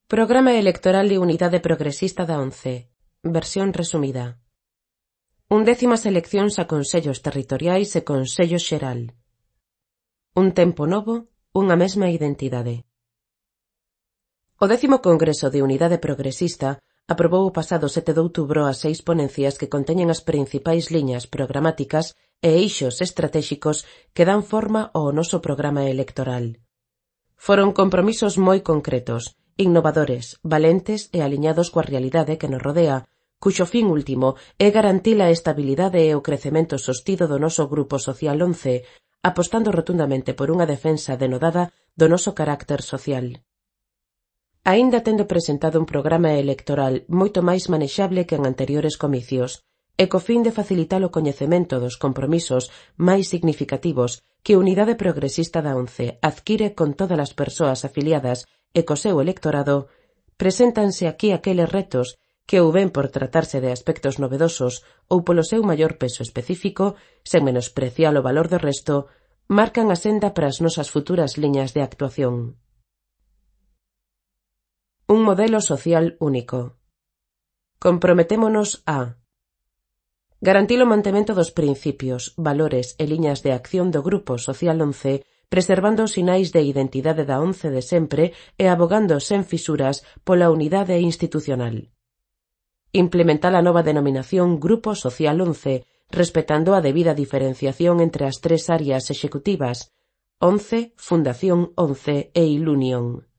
Programa electoral de Unidade Progresista da ONCE. Versión resumida. 11ª eleccións a consellos territoriais e Consello Xeral. Un tempo novo, unha mesma identidade. O 10º Congreso de Unidade Progresista aprobou o pasado 7 de outubro as 6 ponencias que conteñen as principais liñas programáticas e eixos estratéxicos que dan forma ao noso programa electoral. Foron compromisos moi concretos, innovadores, valentes e aliñados coa realidade que nos rodea, cuxo fin último é garantir a estabilidade e o crecemento sostido do noso Grupo Social 11, apostando rotundamente por unha defensa denodada do noso carácter social. Aínda tendo presentado un programa electoral moito máis manexable que en anteriores comicios, e co fin de facilitar o coñecemento dos compromisos máis significativos que Unidade Progresista da ONCE adquire con todas as persoas afiliadas e co seu electorado, preséntanse aquí aqueles retos que ou ben por tratarse de aspectos novedosos ou polo seu maior peso específico, sen menospreciar o valor do resto, marcan a senda para as nosas futuras liñas de actuación. Un modelo social único. Comprometémonos a garantir o mantemento dos principios, valores e liñas de acción do Grupo Social 11, preservando os sinais de identidade da ONCE de sempre e abogando sen fisuras pola unidade institucional. Implementar a nova denominación Grupo Social 11, respetando a debida diferenciación entre as tres áreas executivas, 11, Fundación 11 e Ilunion.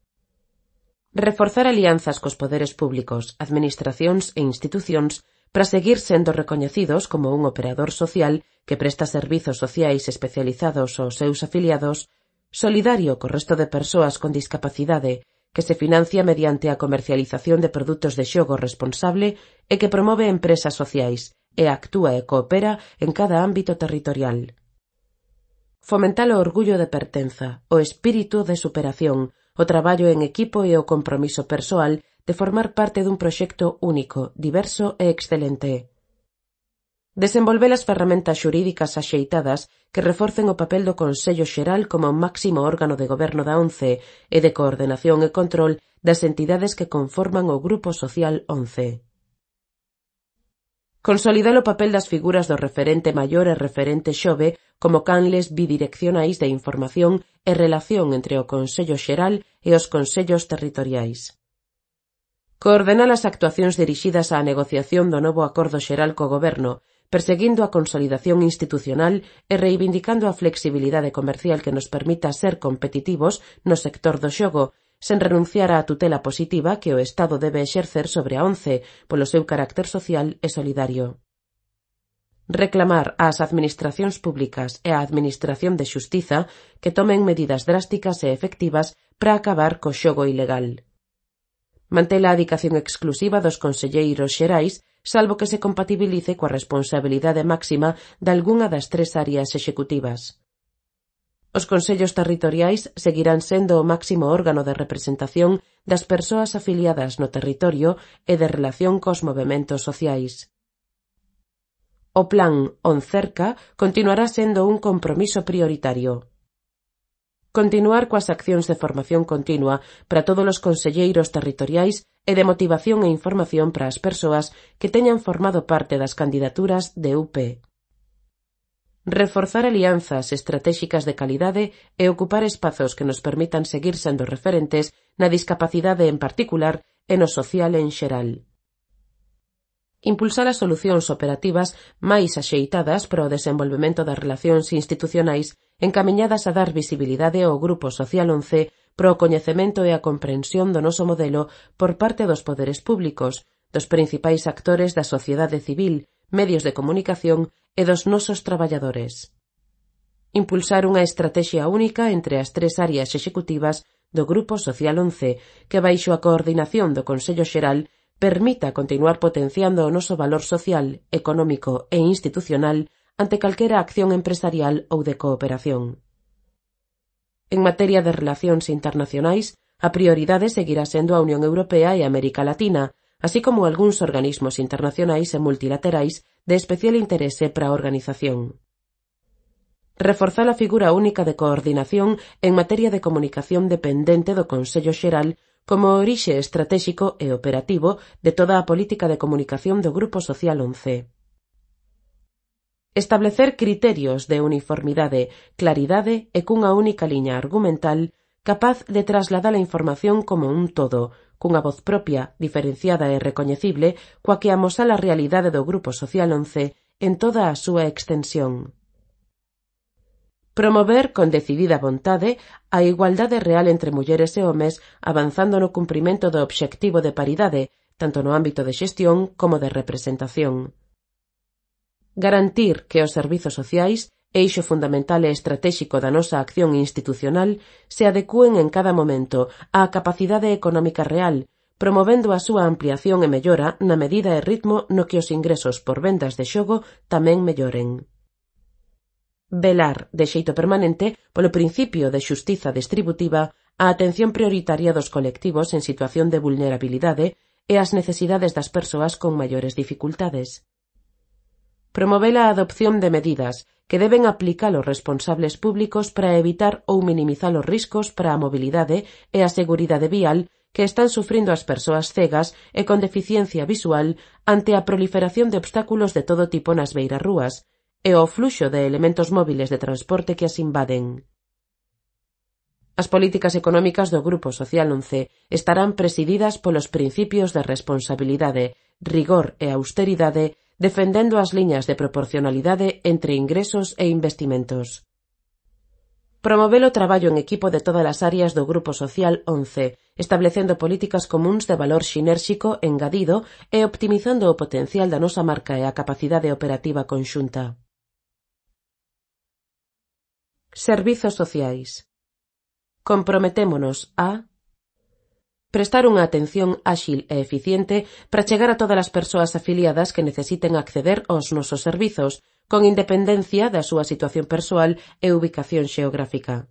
Reforzar alianzas cos poderes públicos, administracións e institucións para seguir sendo recoñecidos como un operador social que presta servizos sociais especializados aos seus afiliados, solidario co resto de persoas con discapacidade, que se financia mediante a comercialización de produtos de xogo responsable e que promove empresas sociais, e actúa e coopera en cada ámbito territorial. Fomentar o orgullo de pertenza, o espírito de superación, o traballo en equipo e o compromiso persoal de formar parte dun proxecto único, diverso e excelente. Desenvolver as ferramentas xurídicas axeitadas que reforcen o papel do Consello Xeral como máximo órgano de goberno da ONCE e de coordenación e control das entidades que conforman o Grupo Social 11. Consolidar o papel das figuras do referente maior e referente xove como canles bidireccionais de información e relación entre o Consello Xeral e os consellos territoriais. Coordenar as actuacións dirixidas á negociación do novo acordo xeral co goberno, perseguindo a consolidación institucional e reivindicando a flexibilidade comercial que nos permita ser competitivos no sector do xogo, sen renunciar á tutela positiva que o Estado debe exercer sobre a ONCE polo seu carácter social e solidario. Reclamar ás administracións públicas e á Administración de Xustiza que tomen medidas drásticas e efectivas para acabar co xogo ilegal. Manter a adicación exclusiva dos conselleiros xerais, salvo que se compatibilice coa responsabilidade máxima de algunha das tres áreas executivas. Os consellos territoriais seguirán sendo o máximo órgano de representación das persoas afiliadas no territorio e de relación cos movementos sociais. O plan ONCERCA continuará sendo un compromiso prioritario. Continuar coas accións de formación continua para todos os conselleiros territoriais e de motivación e información para as persoas que teñan formado parte das candidaturas de UP. Reforzar alianzas estratéxicas de calidade e ocupar espazos que nos permitan seguir sendo referentes na discapacidade en particular e no social en xeral. Impulsar as solucións operativas máis axeitadas para o desenvolvemento das relacións institucionais encamiñadas a dar visibilidade ao Grupo Social 11 para o coñecemento e a comprensión do noso modelo por parte dos poderes públicos, dos principais actores da sociedade civil, medios de comunicación e dos nosos traballadores. Impulsar unha estrategia única entre as tres áreas executivas do Grupo Social 11 que, baixo a coordinación do Consello Xeral, permita continuar potenciando o noso valor social, económico e institucional ante calquera acción empresarial ou de cooperación. En materia de relacións internacionais, a prioridade seguirá sendo a Unión Europea e América Latina, así como algúns organismos internacionais e multilaterais de especial interese para a organización. Reforzar a figura única de coordinación en materia de comunicación dependente do Consello Xeral como orixe estratéxico e operativo de toda a política de comunicación do Grupo Social 11. Establecer criterios de uniformidade, claridade e cunha única liña argumental capaz de trasladar a información como un todo, cunha voz propia, diferenciada e recoñecible, coa que amosar a realidade do Grupo Social 11 en toda a súa extensión. Promover con decidida vontade a igualdade real entre mulleres e homes avanzando no cumprimento do obxectivo de paridade, tanto no ámbito de xestión como de representación. Garantir que os servizos sociais, eixo fundamental e estratéxico da nosa acción institucional, se adecúen en cada momento á capacidade económica real, promovendo a súa ampliación e mellora na medida e ritmo no que os ingresos por vendas de xogo tamén melloren. Velar, de xeito permanente, polo principio de xustiza distributiva, a atención prioritaria dos colectivos en situación de vulnerabilidade e as necesidades das persoas con maiores dificultades. Promover a adopción de medidas que deben aplicar os responsables públicos para evitar ou minimizar os riscos para a mobilidade e a seguridade vial que están sufrindo as persoas cegas e con deficiencia visual ante a proliferación de obstáculos de todo tipo nas beirarrúas e o fluxo de elementos móviles de transporte que as invaden. As políticas económicas do Grupo Social 11 estarán presididas polos principios de responsabilidade, rigor e austeridade, defendendo as liñas de proporcionalidade entre ingresos e investimentos. Promover o traballo en equipo de todas as áreas do Grupo Social 11, establecendo políticas comuns de valor xinérxico engadido e optimizando o potencial da nosa marca e a capacidade operativa conxunta. Servizos sociais. Comprometémonos a prestar unha atención áxil e eficiente para chegar a todas as persoas afiliadas que necesiten acceder aos nosos servizos, con independencia da súa situación persoal e ubicación xeográfica.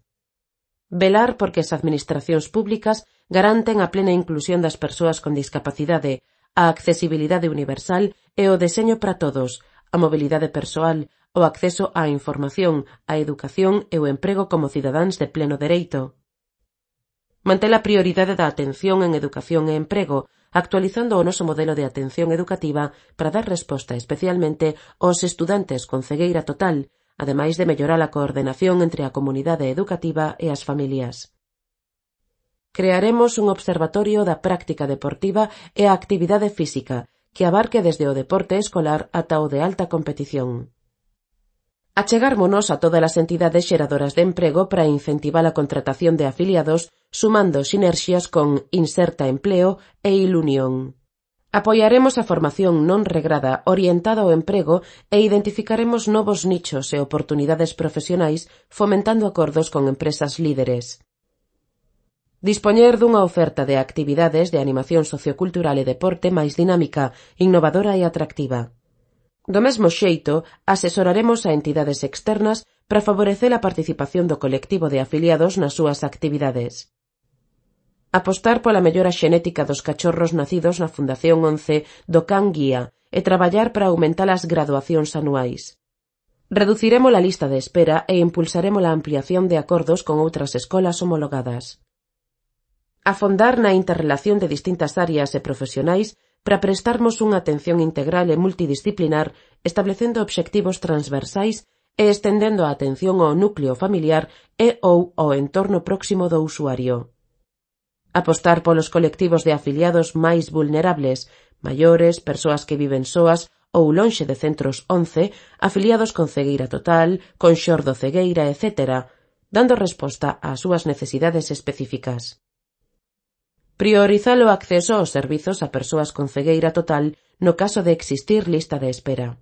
Velar porque as administracións públicas garanten a plena inclusión das persoas con discapacidade, a accesibilidade universal e o deseño para todos, a mobilidade persoal, o acceso á información, á educación e o emprego como cidadáns de pleno dereito. Manter a prioridade da atención en educación e emprego, actualizando o noso modelo de atención educativa para dar resposta especialmente aos estudantes con cegueira total, ademais de mellorar a coordenación entre a comunidade educativa e as familias. Crearemos un observatorio da práctica deportiva e a actividade física, que abarque desde o deporte escolar ata o de alta competición. Achegármonos a todas as entidades xeradoras de emprego para incentivar a contratación de afiliados sumando sinerxias con Inserta Empleo e Ilunión. Apoiaremos a formación non regrada orientada ao emprego e identificaremos novos nichos e oportunidades profesionais fomentando acordos con empresas líderes. Dispoñer dunha oferta de actividades de animación sociocultural e deporte máis dinámica, innovadora e atractiva. Do mesmo xeito, asesoraremos a entidades externas para favorecer a participación do colectivo de afiliados nas súas actividades. Apostar pola mellora xenética dos cachorros nacidos na Fundación 11 do Can Guía e traballar para aumentar as graduacións anuais. Reduciremos a lista de espera e impulsaremos a ampliación de acordos con outras escolas homologadas. Afondar na interrelación de distintas áreas e profesionais para prestarmos unha atención integral e multidisciplinar, establecendo obxectivos transversais e estendendo a atención ao núcleo familiar e ou ao entorno próximo do usuario. Apostar polos colectivos de afiliados máis vulnerables, maiores, persoas que viven soas ou lonxe de centros 11, afiliados con cegueira total, con xordocegueira, etc., dando resposta ás súas necesidades específicas. Priorizar o acceso aos servizos a persoas con cegueira total no caso de existir lista de espera.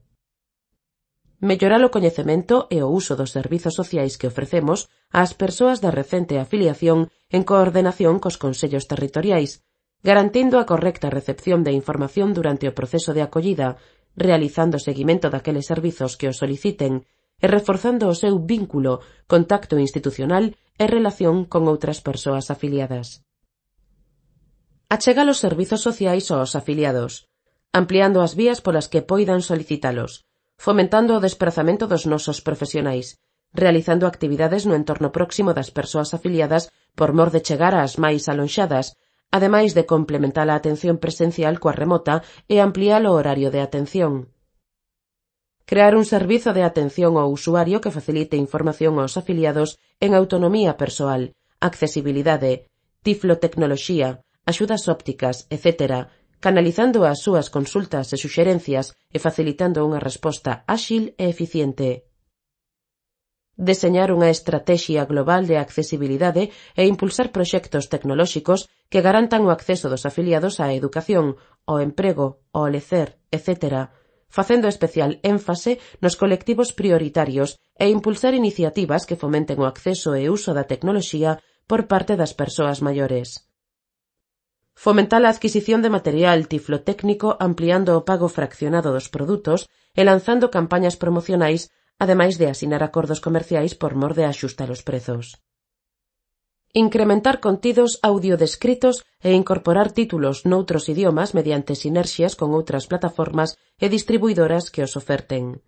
Mellorar o coñecemento e o uso dos servizos sociais que ofrecemos ás persoas da recente afiliación en coordenación cos consellos territoriais, garantindo a correcta recepción de información durante o proceso de acollida, realizando seguimento daqueles servizos que o soliciten e reforzando o seu vínculo, contacto institucional e relación con outras persoas afiliadas. Achegar os servizos sociais aos afiliados, ampliando as vías polas que poidan solicitalos, fomentando o desprazamento dos nosos profesionais, realizando actividades no entorno próximo das persoas afiliadas por mor de chegar ás máis alonxadas, ademais de complementar a atención presencial coa remota e ampliar o horario de atención. Crear un servizo de atención ao usuario que facilite información aos afiliados en autonomía persoal, accesibilidade, tiflotecnoloxía, axudas ópticas, etc., canalizando as súas consultas e suxerencias e facilitando unha resposta áxil e eficiente. Deseñar unha estrategia global de accesibilidade e impulsar proxectos tecnolóxicos que garantan o acceso dos afiliados á educación, ao emprego, ao lecer, etc., facendo especial énfase nos colectivos prioritarios e impulsar iniciativas que fomenten o acceso e uso da tecnoloxía por parte das persoas maiores. Fomentar a adquisición de material tiflotécnico ampliando o pago fraccionado dos produtos e lanzando campañas promocionais, ademais de asinar acordos comerciais por mor de axustar os prezos. Incrementar contidos audiodescritos e incorporar títulos noutros idiomas mediante sinerxias con outras plataformas e distribuidoras que os oferten.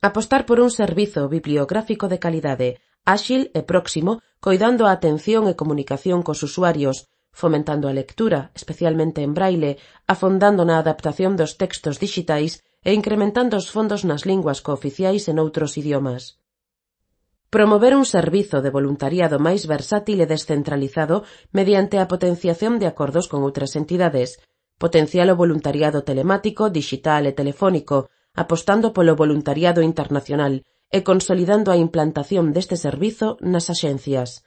Apostar por un servizo bibliográfico de calidade, áxil e próximo, coidando a atención e comunicación cos usuarios, fomentando a lectura, especialmente en braille, afondando na adaptación dos textos dixitais e incrementando os fondos nas linguas cooficiais e noutros idiomas. Promover un servizo de voluntariado máis versátil e descentralizado mediante a potenciación de acordos con outras entidades, potenciar o voluntariado telemático, dixital e telefónico, apostando polo voluntariado internacional e consolidando a implantación deste servizo nas axencias.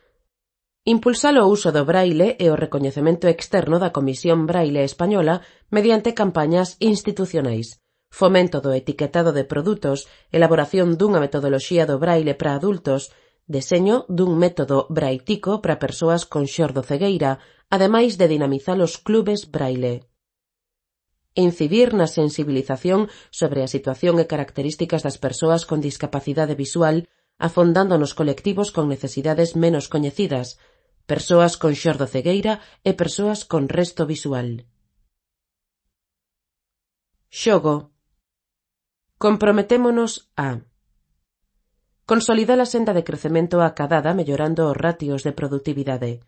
Impulsar o uso do braille e o recoñecemento externo da Comisión Braille Española mediante campañas institucionais, fomento do etiquetado de produtos, elaboración dunha metodoloxía do braille para adultos, deseño dun método braitico para persoas con xordocegueira, ademais de dinamizar os clubes braille. Incidir na sensibilización sobre a situación e características das persoas con discapacidade visual, afondando nos colectivos con necesidades menos coñecidas, persoas con xordocegueira e persoas con resto visual. Xogo. Comprometémonos a consolidar a senda de crecemento acadada mellorando os ratios de produtividade.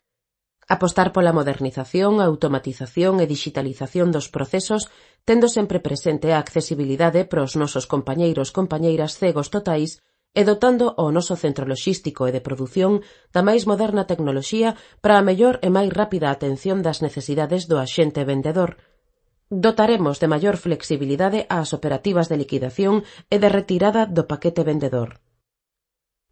Apostar pola modernización, automatización e digitalización dos procesos, tendo sempre presente a accesibilidade para os nosos compañeiras cegos totais e dotando o noso centro loxístico e de produción da máis moderna tecnoloxía para a mellor e máis rápida atención das necesidades do axente vendedor. Dotaremos de maior flexibilidade ás operativas de liquidación e de retirada do paquete vendedor.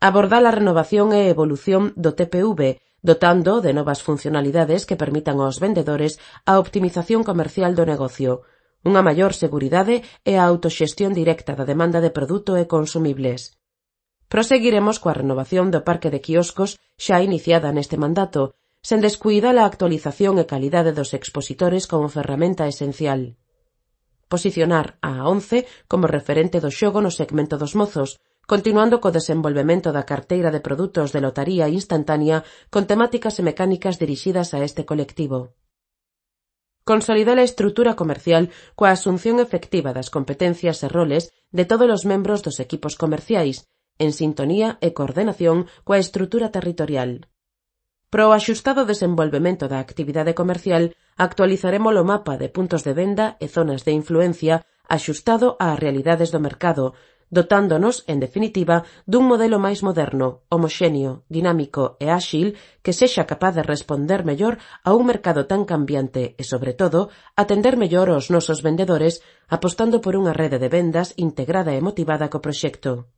Abordar a renovación e evolución do TPV, dotando de novas funcionalidades que permitan aos vendedores a optimización comercial do negocio, unha maior seguridade e a autoxestión directa da demanda de produto e consumibles. Proseguiremos coa renovación do parque de quioscos xa iniciada neste mandato, sen descuidar a actualización e calidade dos expositores como ferramenta esencial. Posicionar a ONCE como referente do xogo no segmento dos mozos, continuando co desenvolvemento da carteira de produtos de lotaría instantánea con temáticas e mecánicas dirixidas a este colectivo. Consolidar a estrutura comercial coa asunción efectiva das competencias e roles de todos os membros dos equipos comerciais, en sintonía e coordenación coa estrutura territorial. Pro o axustado desenvolvemento da actividade comercial, actualizaremos o mapa de puntos de venda e zonas de influencia axustado ás realidades do mercado, dotándonos, en definitiva, dun modelo máis moderno, homoxéneo, dinámico e áxil que sexa capaz de responder mellor a un mercado tan cambiante e, sobre todo, atender mellor aos nosos vendedores apostando por unha rede de vendas integrada e motivada co proxecto.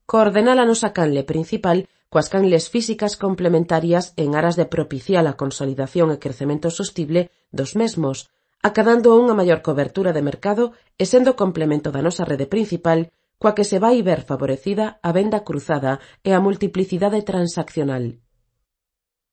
Coordenar a nosa canle principal coas canles físicas complementarias en aras de propiciar a consolidación e crecemento sostible dos mesmos, acadando unha maior cobertura de mercado e sendo complemento da nosa rede principal, coa que se vai ver favorecida a venda cruzada e a multiplicidade transaccional.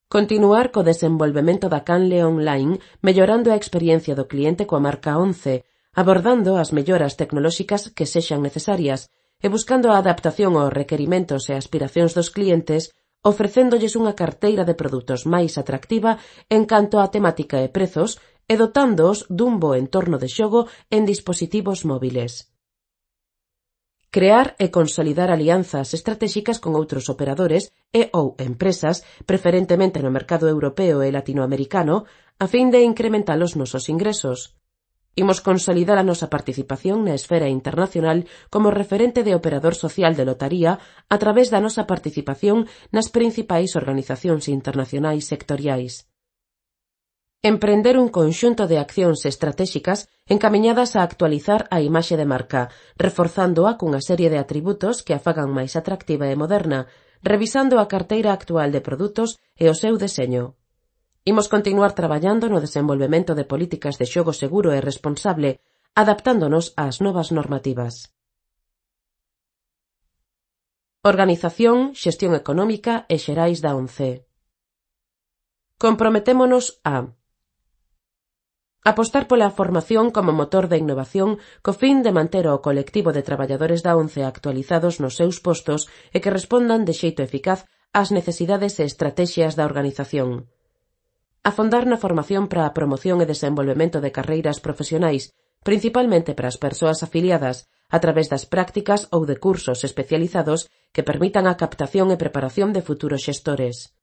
Continuar co desenvolvemento da canle online, mellorando a experiencia do cliente coa marca ONCE, abordando as melloras tecnolóxicas que sexan necesarias, e buscando a adaptación aos requerimentos e aspiracións dos clientes, ofrecéndolles unha carteira de produtos máis atractiva en canto a temática e prezos e dotándoos dun bo entorno de xogo en dispositivos móviles. Crear e consolidar alianzas estratéxicas con outros operadores e ou empresas, preferentemente no mercado europeo e latinoamericano, a fin de incrementar os nosos ingresos. Imos consolidar a nosa participación na esfera internacional como referente de operador social de lotaría a través da nosa participación nas principais organizacións internacionais sectoriais. Emprender un conxunto de accións estratéxicas encamiñadas a actualizar a imaxe de marca, reforzándoa cunha serie de atributos que a fagan máis atractiva e moderna, revisando a carteira actual de produtos e o seu deseño. Imos continuar traballando no desenvolvemento de políticas de xogo seguro e responsable, adaptándonos ás novas normativas. Organización, xestión económica e xerais da ONCE. Comprometémonos a apostar pola formación como motor de innovación co fin de manter o colectivo de traballadores da ONCE actualizados nos seus postos e que respondan de xeito eficaz ás necesidades e estratexias da organización. Afondar na formación para a promoción e desenvolvemento de carreiras profesionais, principalmente para as persoas afiliadas, a través das prácticas ou de cursos especializados que permitan a captación e preparación de futuros xestores.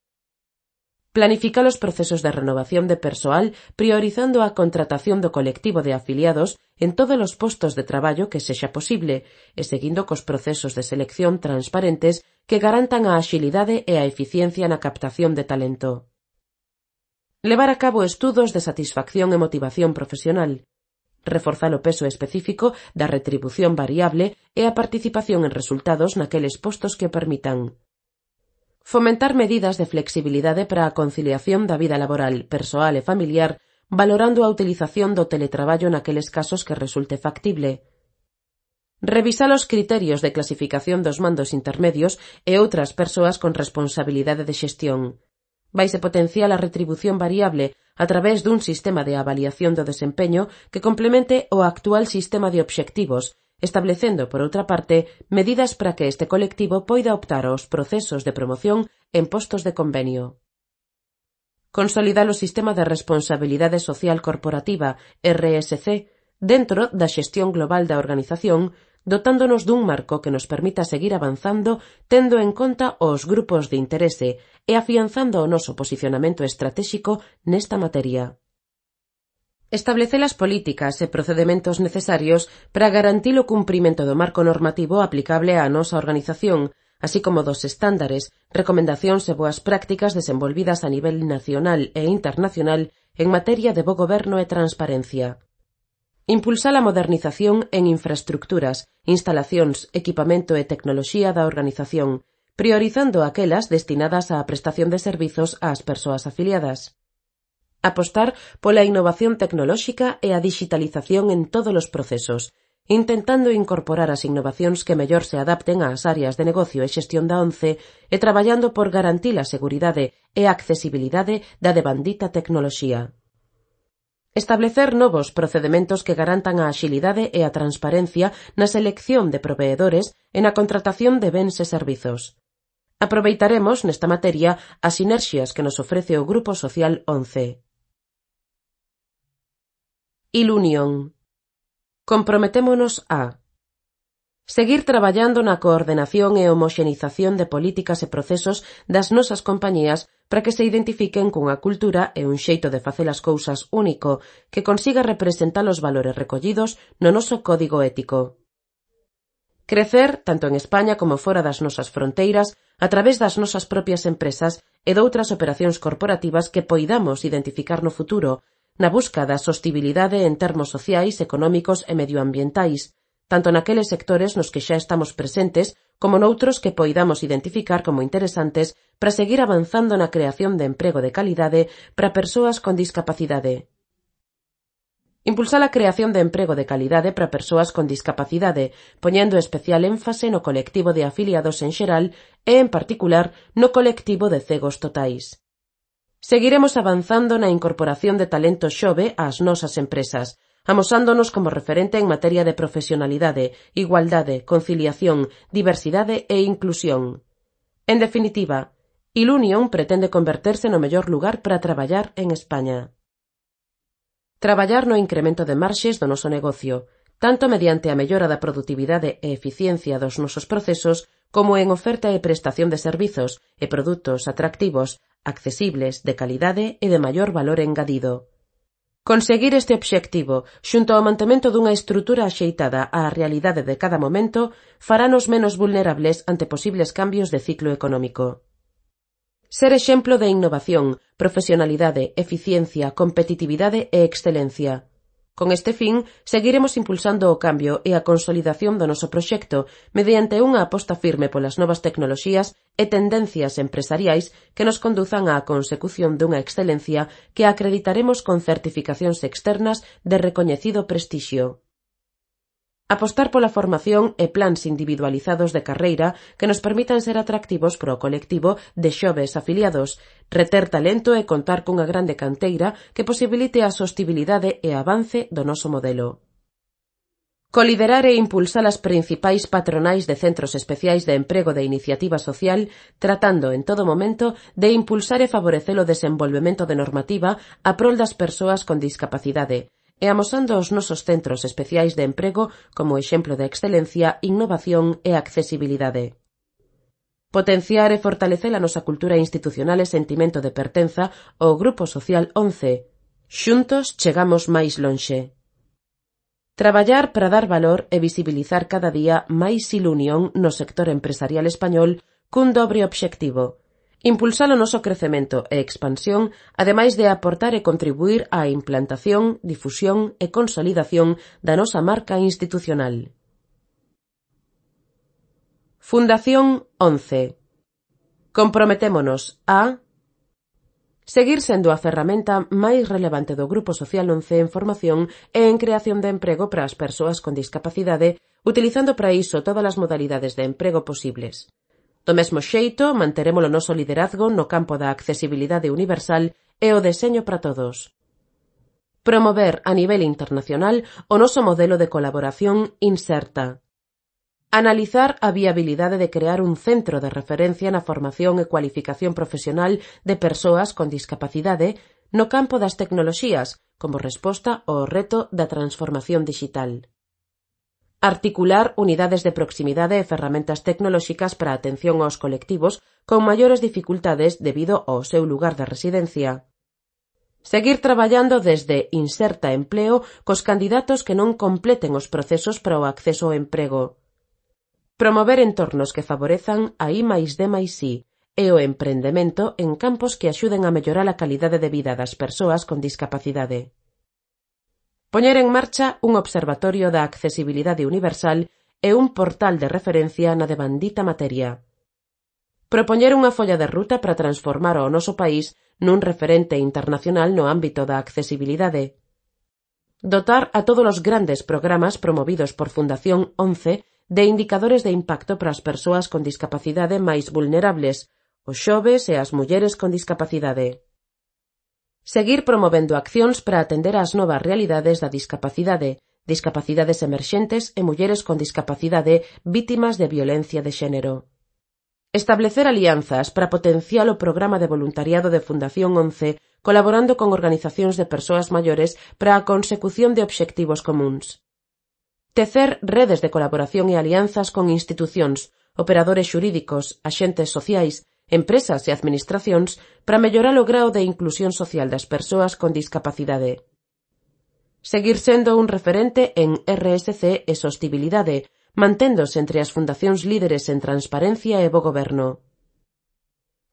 Planificar os procesos de renovación de persoal priorizando a contratación do colectivo de afiliados en todos os postos de traballo que sexa posible e seguindo cos procesos de selección transparentes que garantan a axilidade e a eficiencia na captación de talento. Levar a cabo estudos de satisfacción e motivación profesional. Reforzar o peso específico da retribución variable e a participación en resultados naqueles postos que o permitan. Fomentar medidas de flexibilidade para a conciliación da vida laboral, persoal e familiar, valorando a utilización do teletraballo naqueles casos que resulte factible. Revisar os criterios de clasificación dos mandos intermedios e outras persoas con responsabilidade de xestión. Vaise potenciar a retribución variable a través dun sistema de avaliación do desempeño que complemente o actual sistema de obxectivos, establecendo, por outra parte, medidas para que este colectivo poida optar aos procesos de promoción en postos de convenio. Consolidar o sistema de responsabilidade social corporativa, RSC, dentro da xestión global da organización, dotándonos dun marco que nos permita seguir avanzando tendo en conta os grupos de interese e afianzando o noso posicionamento estratéxico nesta materia. Establecer as políticas e procedementos necesarios para garantir o cumprimento do marco normativo aplicable á nosa organización, así como dos estándares, recomendacións e boas prácticas desenvolvidas a nivel nacional e internacional en materia de bo goberno e transparencia. Impulsar a modernización en infraestructuras, instalacións, equipamento e tecnoloxía da organización, priorizando aquelas destinadas á prestación de servizos ás persoas afiliadas. Apostar pola innovación tecnolóxica e a digitalización en todos os procesos, intentando incorporar as innovacións que mellor se adapten ás áreas de negocio e xestión da ONCE e traballando por garantir a seguridade e a accesibilidade da devandita tecnoloxía. Establecer novos procedementos que garantan a axilidade e a transparencia na selección de proveedores e na contratación de bens e servizos. Aproveitaremos nesta materia as sinerxias que nos ofrece o Grupo Social 11. Ilunion. Comprometémonos a seguir traballando na coordenación e homoxenización de políticas e procesos das nosas compañías para que se identifiquen cunha cultura e un xeito de facer as cousas único que consiga representar os valores recollidos no noso código ético. Crecer, tanto en España como fora das nosas fronteiras, a través das nosas propias empresas e doutras operacións corporativas que poidamos identificar no futuro, na busca da sostibilidade en termos sociais, económicos e medioambientais, tanto naqueles sectores nos que xa estamos presentes como noutros que poidamos identificar como interesantes para seguir avanzando na creación de emprego de calidade para persoas con discapacidade. Impulsar a creación de emprego de calidade para persoas con discapacidade, poñendo especial énfase no colectivo de afiliados en xeral e, en particular, no colectivo de cegos totais. Seguiremos avanzando na incorporación de talento xove ás nosas empresas, amosándonos como referente en materia de profesionalidade, igualdade, conciliación, diversidade e inclusión. En definitiva, Ilunion pretende converterse no mellor lugar para traballar en España. Traballar no incremento de marxes do noso negocio, tanto mediante a mellora da produtividade e eficiencia dos nosos procesos, como en oferta e prestación de servizos e produtos atractivos, accesibles, de calidade e de maior valor engadido. Conseguir este obxectivo, xunto ao mantemento dunha estrutura axeitada á realidade de cada momento, farános menos vulnerables ante posibles cambios de ciclo económico. Ser exemplo de innovación, profesionalidade, eficiencia, competitividade e excelencia. Con este fin, seguiremos impulsando o cambio e a consolidación do noso proxecto mediante unha aposta firme polas novas tecnoloxías e tendencias empresariais que nos conduzan á consecución dunha excelencia que acreditaremos con certificacións externas de recoñecido prestixio. Apostar pola formación e plans individualizados de carreira que nos permitan ser atractivos para o colectivo de xoves afiliados, reter talento e contar cunha grande canteira que posibilite a sostibilidade e avance do noso modelo. Coliderar e impulsar as principais patronais de centros especiais de emprego de iniciativa social, tratando en todo momento de impulsar e favorecer o desenvolvemento de normativa a prol das persoas con discapacidade, e amosando os nosos centros especiais de emprego como exemplo de excelencia, innovación e accesibilidade. Potenciar e fortalecer a nosa cultura institucional e sentimento de pertenza ao Grupo Social 11. Xuntos chegamos máis lonxe. Traballar para dar valor e visibilizar cada día máis ilunión no sector empresarial español cun dobre obxectivo: impulsar o noso crecemento e expansión, ademais de aportar e contribuir á implantación, difusión e consolidación da nosa marca institucional. Fundación 11. Comprometémonos a seguir sendo a ferramenta máis relevante do Grupo Social 11 en formación e en creación de emprego para as persoas con discapacidade, utilizando para iso todas as modalidades de emprego posibles. Do mesmo xeito, manteremos o noso liderazgo no campo da accesibilidade universal e o deseño para todos. Promover a nivel internacional o noso modelo de colaboración Inserta. Analizar a viabilidade de crear un centro de referencia na formación e cualificación profesional de persoas con discapacidade no campo das tecnoloxías, como resposta ao reto da transformación dixital. Articular unidades de proximidade e ferramentas tecnolóxicas para a atención aos colectivos con maiores dificultades debido ao seu lugar de residencia. Seguir traballando desde Inserta Empleo cos candidatos que non completen os procesos para o acceso ao emprego. Promover entornos que favorezan a I+D+I e o emprendemento en campos que axuden a mellorar a calidade de vida das persoas con discapacidade. Poñer en marcha un observatorio da accesibilidade universal e un portal de referencia na devandita materia. Propoñer unha folla de ruta para transformar o noso país nun referente internacional no ámbito da accesibilidade. Dotar a todos os grandes programas promovidos por Fundación 11 de indicadores de impacto para as persoas con discapacidade máis vulnerables, os xoves e as mulleres con discapacidade. Seguir promovendo accións para atender ás novas realidades da discapacidade, discapacidades emerxentes e mulleres con discapacidade vítimas de violencia de xénero. Establecer alianzas para potenciar o programa de voluntariado de Fundación 11, colaborando con organizacións de persoas maiores para a consecución de obxectivos comúns. Tecer redes de colaboración e alianzas con institucións, operadores xurídicos, axentes sociais, empresas e administracións para mellorar o grao de inclusión social das persoas con discapacidade. Seguir sendo un referente en RSC e sostibilidade, manténdose entre as fundacións líderes en transparencia e bo goberno.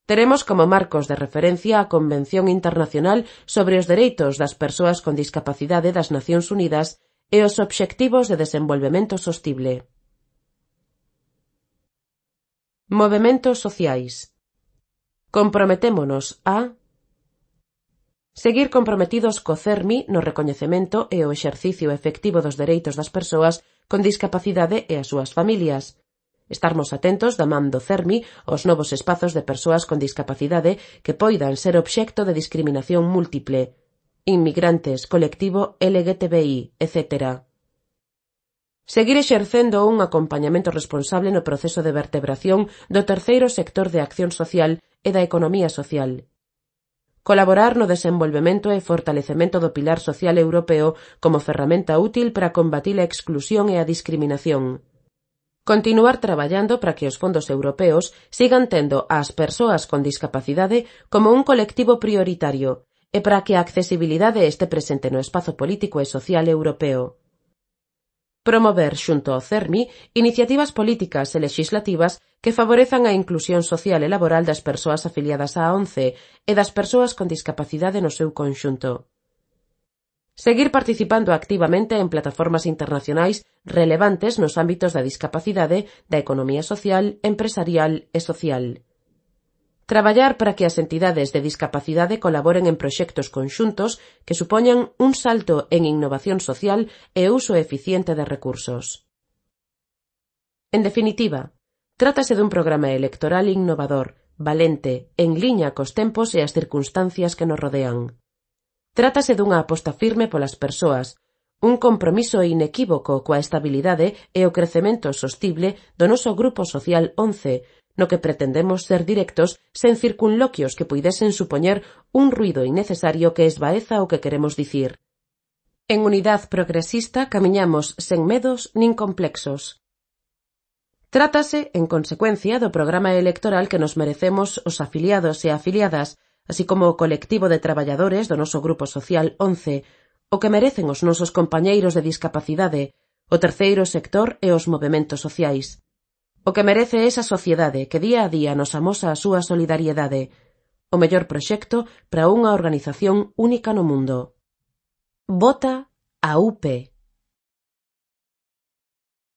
Teremos como marcos de referencia a Convención Internacional sobre os Dereitos das Persoas con Discapacidade das Nacións Unidas e os Obxectivos de Desenvolvemento Sostible. Movementos sociais. Comprometémonos a seguir comprometidos co CERMI no recoñecemento e o exercicio efectivo dos dereitos das persoas con discapacidade e as súas familias. Estarmos atentos da man do CERMI aos novos espazos de persoas con discapacidade que poidan ser obxecto de discriminación múltiple, inmigrantes, colectivo LGTBI, etc. Seguir exercendo un acompañamento responsable no proceso de vertebración do terceiro sector de acción social e da economía social. colaborar no desenvolvemento e fortalecemento do pilar social europeo como ferramenta útil para combatir a exclusión e a discriminación. Continuar traballando para que os fondos europeos sigan tendo ás persoas con discapacidade como un colectivo prioritario e para que a accesibilidade este presente no espazo político e social europeo. Promover xunto ao CERMI iniciativas políticas e legislativas que favorezan a inclusión social e laboral das persoas afiliadas á ONCE e das persoas con discapacidade no seu conxunto. Seguir participando activamente en plataformas internacionais relevantes nos ámbitos da discapacidade, da economía social, empresarial e social. Traballar para que as entidades de discapacidade colaboren en proxectos conxuntos que supoñan un salto en innovación social e uso eficiente de recursos. En definitiva, trátase dun programa electoral innovador, valente, en liña cos tempos e as circunstancias que nos rodean. Trátase dunha aposta firme polas persoas, un compromiso inequívoco coa estabilidade e o crecemento sostible do noso grupo social 11, no que pretendemos ser directos sen circunloquios que puidesen supoñer un ruido innecesario que esvaeza o que queremos dicir. En unidade progresista camiñamos sen medos nin complexos. Trátase, en consecuencia, do programa electoral que nos merecemos os afiliados e afiliadas, así como o colectivo de traballadores do noso grupo social 11, o que merecen os nosos compañeiros de discapacidade, o terceiro sector e os movementos sociais. O que merece esa sociedade que día a día nos amosa a súa solidariedade, o mellor proxecto para unha organización única no mundo. Vota a UP.